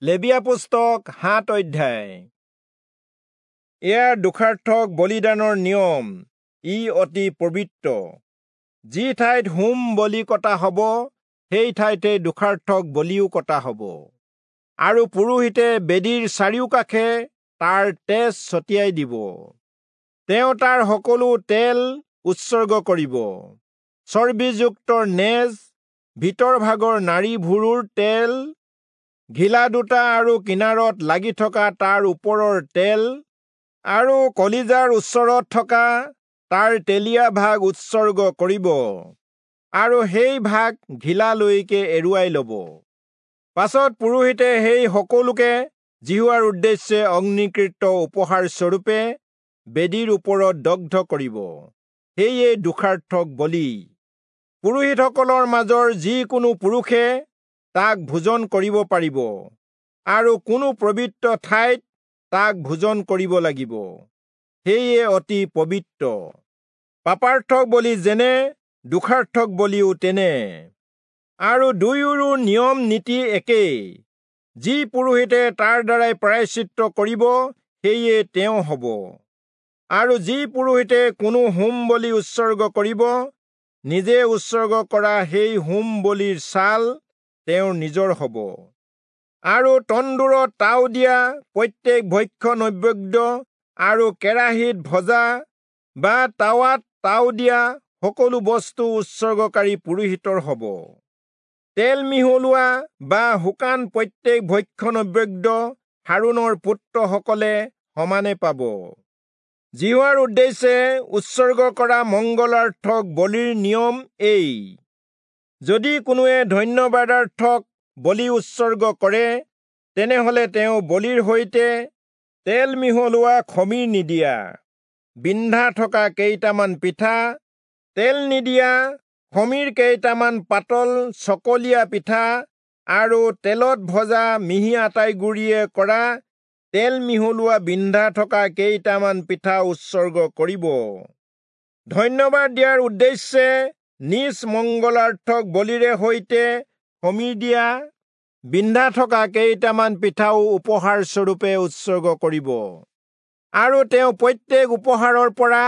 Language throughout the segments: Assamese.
লেবীয়া পুস্তক 7 অধ্যায়। ইয়াৰ দোষাৰ্থক বলিদানৰ নিয়ম, ই অতি পবিত্ৰ। যি ঠাইত হোম বলি কটা হ'ব, সেই ঠাইতে দোষাৰ্থক বলিও কটা হ'ব। আৰু পুৰোহিতে বেদীৰ চাৰিওকাষে তাৰ তেজ ছটিয়াই দিব। তেওঁ তাৰ সকলো তেল উৎসৰ্গ কৰিব। চৰ্বিযুক্ত নেজ, ভিতৰ ভাগৰ নাড়ী ভুৰুৰ তেল, ঘিলা দুটা আৰু কিনাৰত লাগি থকা তাৰ ওপৰৰ তেল আৰু কলিজাৰ ওচৰত থকা তাৰ তেলীয়া ভাগ উৎসৰ্গ কৰিব আৰু সেই ভাগ ঘিলালৈকে এৰুৱাই ল'ব। পাছত পুৰোহিতে সেই সকলোকে যিহোৱাৰ উদ্দেশ্যে অগ্নিকৃত উপহাৰ স্বৰূপে বেদীৰ ওপৰত দগ্ধ কৰিব। সেয়ে দোষাৰ্থক বলি। পুৰোহিতসকলৰ মাজৰ যিকোনো পুৰুষে তাক ভোজন কৰিব পাৰিব আৰু কোনো পবিত্ৰ ঠাইত তাক ভোজন কৰিব লাগিব। সেয়ে অতি পবিত্ৰ। পাপাৰ্থক বলি যেনে, দোষাৰ্থক বলিও তেনে। আৰু দুয়োৰো নিয়ম নীতি একেই। যি পুৰোহিতে তাৰ দ্বাৰাই প্ৰায়শ্চিত্ত কৰিব, সেয়ে তেওঁ হ'ব। আৰু যি পুৰোহিতে কোনো হোম বলি উৎসৰ্গ কৰিব, নিজে উৎসৰ্গ কৰা সেই হোম বলিৰ ছাল তেওঁৰ নিজৰ হ'ব। আৰু তন্দুৰত তাও দিয়া প্ৰত্যেক ভক্ষ্য নৈবেদ্য আৰু কেৰাহীত ভজা বা তাৱাত তাও দিয়া সকলো বস্তু উৎসৰ্গকাৰী পুৰোহিতৰ হ'ব। তেল মিহলোৱা বা শুকান প্ৰত্যেক ভক্ষ্য নৈবেদ্য হাৰোণৰ পুত্ৰসকলে সমানে পাব। যিহোৱাৰ উদ্দেশ্যে উৎসৰ্গ কৰা মংগলাৰ্থক বলিৰ নিয়ম এই। যদি কোনোৱে ধন্যবাদাৰ্থক বলি উৎসৰ্গ কৰে, তেনেহলে তেওঁ বলিৰ সৈতে তেল মিহলোৱা খমীৰ নিদিয়া বিন্ধা থকা কেইটামান পিঠা, তেল নিদিয়া খমীৰ কেইটামান পাতল চকলীয়া পিঠা আৰু তেলত ভজা মিহি আটাইগুৰিয়ে কৰা তেল মিহলোৱা বিন্ধা থকা কেইটামান পিঠা উৎসৰ্গ কৰিব। ধন্যবাদ দিয়াৰ উদ্দেশ্যে নিজ মংগলাৰ্থক বলিৰে সৈতে খমীৰ দিয়া বিন্ধা থকা কেইটামান পিঠাও উপহাৰ স্বৰূপে উৎসৰ্গ কৰিব। আৰু তেওঁ প্ৰত্যেক উপহাৰৰ পৰা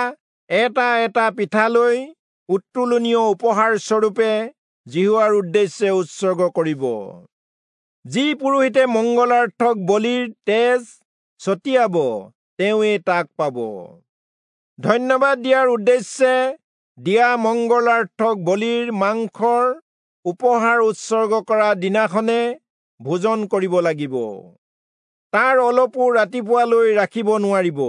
এটা এটা পিঠা লৈ উত্তোলনীয় উপহাৰ স্বৰূপে যিহোৱাৰ উদ্দেশ্যে উৎসৰ্গ কৰিব। যি পুৰোহিতে মংগলাৰ্থক বলিৰ তেজ ছটিয়াব, তেওঁৱে তাক পাব। ধন্যবাদ দিয়াৰ উদ্দেশ্যে দিয়া মংগলাৰ্থক বলিৰ মাংসৰ উপহাৰ উৎসৰ্গ কৰা দিনাখনে ভোজন কৰিব লাগিব। তাৰ অলপো ৰাতিপুৱালৈ ৰাখিব নোৱাৰিব।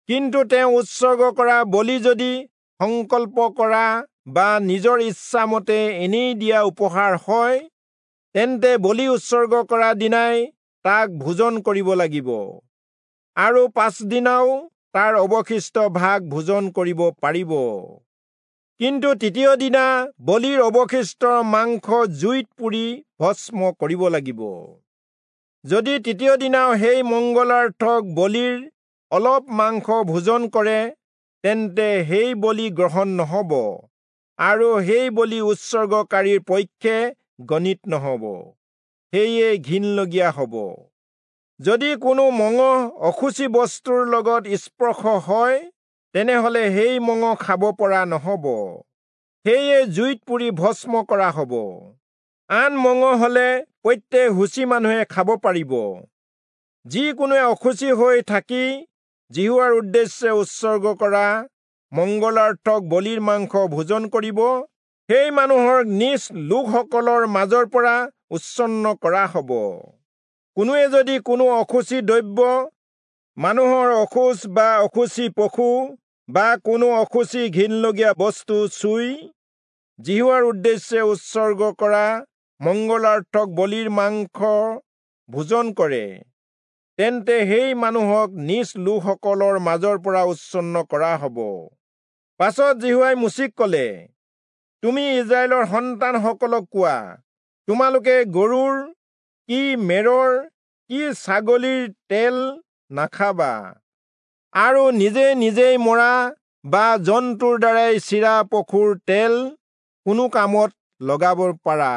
কিন্তু তেওঁ উৎসৰ্গ কৰা বলি যদি সংকল্প কৰা বা নিজৰ ইচ্ছামতে এনেই দিয়া উপহাৰ হয়, তেন্তে বলি উৎসৰ্গ কৰা দিনাই তাক ভোজন কৰিব লাগিব আৰু পাছদিনাও তাৰ অৱশিষ্ট ভাগ ভোজন কৰিব পাৰিব। কিন্তু তৃতীয় দিনা বলিৰ অৱশিষ্ট মাংস জুইত পুৰি ভস্ম কৰিব লাগিব। যদি তৃতীয় দিনাও সেই মংগলাৰ্থক বলিৰ অলপ মাংস ভোজন কৰে, তেন্তে সেই বলি গ্ৰহণ নহ'ব আৰু সেই বলি উৎসৰ্গকাৰীৰ পক্ষে গণিত নহ'ব, সেয়ে ঘিণলগীয়া হ'ব। যদি কোনো মঙহ অশুচি বস্তুৰ লগত স্পৰ্শ হয়, তেনেহলে সেই মঙহ খাব পৰা নহ'ব, সেয়ে জুইত পুৰি ভস্ম কৰা হ'ব। আন মঙহ হলে প্ৰত্যেক শুচি মানুহে খাব পাৰিব। যিকোনোৱে অশুচি হৈ থাকি যিহোৱাৰ উদ্দেশ্যে উৎসৰ্গ কৰা মংগলাৰ্থক বলিৰ মাংস ভোজন কৰিব, সেই মানুহৰ নিজ লোকসকলৰ মাজৰ পৰা উচ্ছন্ন কৰা হ'ব। কোনোৱে যদি কোনো অশুচি দ্ৰব্য, মানুহৰ অশৌচ বা অশুচি পশু বা কোনো অশুচি ঘিণলগীয়া বস্তু চুই যিহোৱাৰ উদ্দেশ্যে উৎসৰ্গ কৰা মংগলাৰ্থক বলিৰ মাংস ভোজন কৰে, তেন্তে সেই মানুহক নিজ লোকসকলৰ মাজৰ পৰা উচ্ছন্ন কৰা হ'ব। পাছত যিহোৱাই মোচিক ক'লে, তুমি ইস্ৰায়েলৰ সন্তানসকলক কোৱা, তোমালোকে গৰুৰ কি মেৰৰ কি ছাগলীৰ তেল নাখাবা আৰু নিজে নিজেই মৰা বা জন্তুৰ দ্বাৰাই চিৰা পশুৰ তেল কোনো কামত লগাব পাৰা।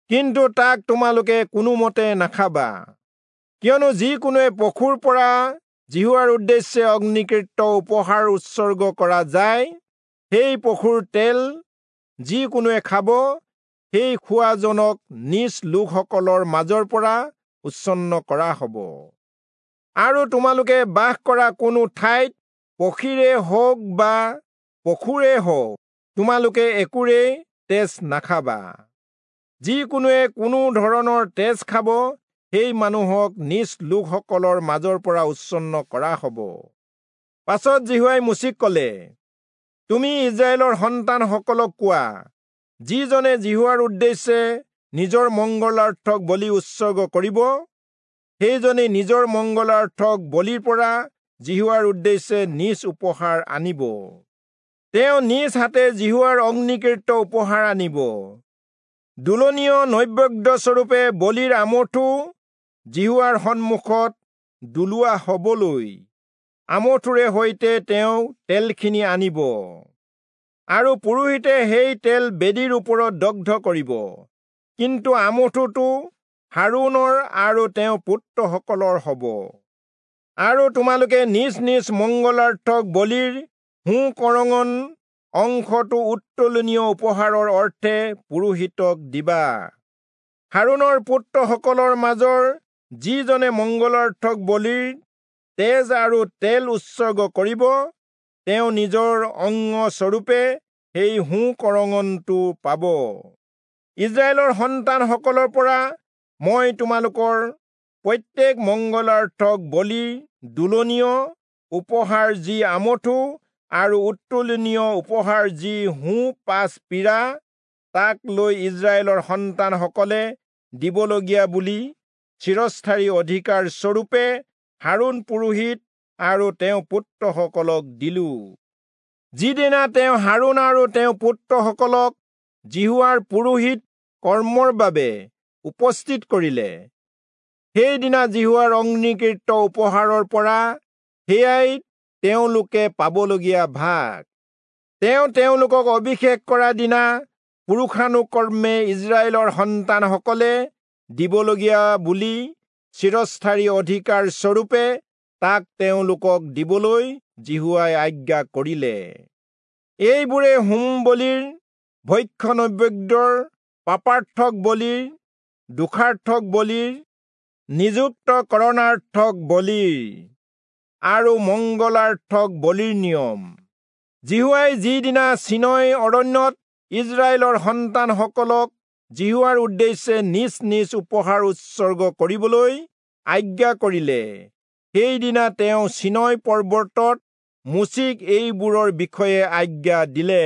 কিন্তু তাক তোমালোকে কোনোমতে নাখাবা, কিয়নো যিকোনোৱে পশুৰ পৰা যিহোৱাৰ উদ্দেশ্যে অগ্নিকৃত উপহাৰ উৎসৰ্গ কৰা যায়, সেই পশুৰ তেল যিকোনোৱে খাব, সেই খোৱাজনক নিজ লোকসকলৰ মাজৰ পৰা উচ্ছন্ন কৰা হ'ব। আৰু তোমালোকে বাস কৰা কোনো ঠাইত পক্ষীৰে হওক বা পশুৰে হওক তোমালোকে একোৰেই তেজ নাখাবা। যিকোনোৱে কোনো ধৰণৰ তেজ খাব, সেই মানুহক নিজ লোকসকলৰ মাজৰ পৰা উচ্ছন্ন কৰা হ'ব। পাছত যিহোৱাই মোচিক ক'লে, তুমি ইস্ৰায়েলৰ সন্তানসকলক কোৱা, যিজনে যিহোৱাৰ উদ্দেশ্যে নিজৰ মংগলাৰ্থক বলি উৎসৰ্গ কৰিব, সেইজনে নিজৰ মংগলাৰ্থক বলিৰ পৰা যিহোৱাৰ উদ্দেশ্যে নিজ উপহাৰ আনিব। তেওঁ নিজ হাতে যিহোৱাৰ অগ্নিকৃত উপহাৰ আনিব। দোলনীয় নৈবেদ্যস্বৰূপে বলিৰ আমঠু যিহোৱাৰ সন্মুখত দোলোৱা হবলৈ আমঠুৰে সৈতে তেওঁ তেলখিনি আনিব, আৰু পুৰোহিতে সেই তেল বেদীৰ ওপৰত দগ্ধ কৰিব। কিন্তু আমঠুটো হাৰোণৰ আৰু তেওঁৰ পুত্ৰসকলৰ হ'ব। আৰু তোমালোকে নিজ নিজ মংগলাৰ্থক বলিৰ সোঁ কৰঙণ অংশটো উত্তোলনীয় উপহাৰৰ অৰ্থে পুৰোহিতক দিবা। হাৰোণৰ পুত্ৰসকলৰ মাজৰ যিজনে মংগলাৰ্থক বলিৰ তেজ আৰু তেল উৎসৰ্গ কৰিব, তেওঁ নিজৰ অংগস্বৰূপে সেই সোঁ কৰঙণটো পাব। ইস্ৰায়েলৰ সন্তানসকলৰ পৰা মই তোমালোকৰ প্ৰত্যেক মংগলাৰ্থক বলিৰ দোলনীয় উপহাৰ যি আমঠু আৰু উত্তোলনীয় উপহাৰ যি সোঁ পাছ পীৰা, তাক লৈ ইস্ৰায়েলৰ সন্তানসকলে দিবলগীয়া বুলি চিৰস্থায়ী অধিকাৰ স্বৰূপে হাৰোণ পুৰোহিত আৰু তেওঁৰ পুত্ৰসকলক দিলো। যিদিনা তেওঁ হাৰোণ আৰু তেওঁৰ পুত্ৰসকলক যিহোৱাৰ পুৰোহিত কৰ্মৰ বাবে উপস্থিত কৰিলে, সেইদিনা যিহোৱাৰ অগ্নিকৃত উপহাৰৰ পৰা সেয়াই তেওঁলোকে পাবলগীয়া ভাগ। তেওঁ তেওঁলোকক অভিষেক কৰা দিনা পুৰুষানুকৰ্মে ইস্ৰায়েলৰ সন্তানসকলে দিবলগীয়া বুলি চিৰস্থায়ী অধিকাৰ স্বৰূপে তাক তেওঁলোকক দিবলৈ যিহোৱাই আজ্ঞা কৰিলে। এইবোৰে হোম বলিৰ, ভক্ষ্য নৈবেদ্যৰ, পাপাৰ্থক বলিৰ, দোষাৰ্থক বলিৰ, নিযুক্তকৰণাৰ্থক বলিৰ আৰু মংগলাৰ্থক বলিৰ নিয়ম। যিহোৱাই যিদিনা চীনয় অৰণ্যত ইস্ৰায়েলৰ সন্তানসকলক যিহোৱাৰ উদ্দেশ্যে নিজ নিজ উপহাৰ উৎসৰ্গ কৰিবলৈ আজ্ঞা কৰিলে, সেইদিনা তেওঁ চীনয় পৰ্বতত মোচিক এইবোৰৰ বিষয়ে আজ্ঞা দিলে।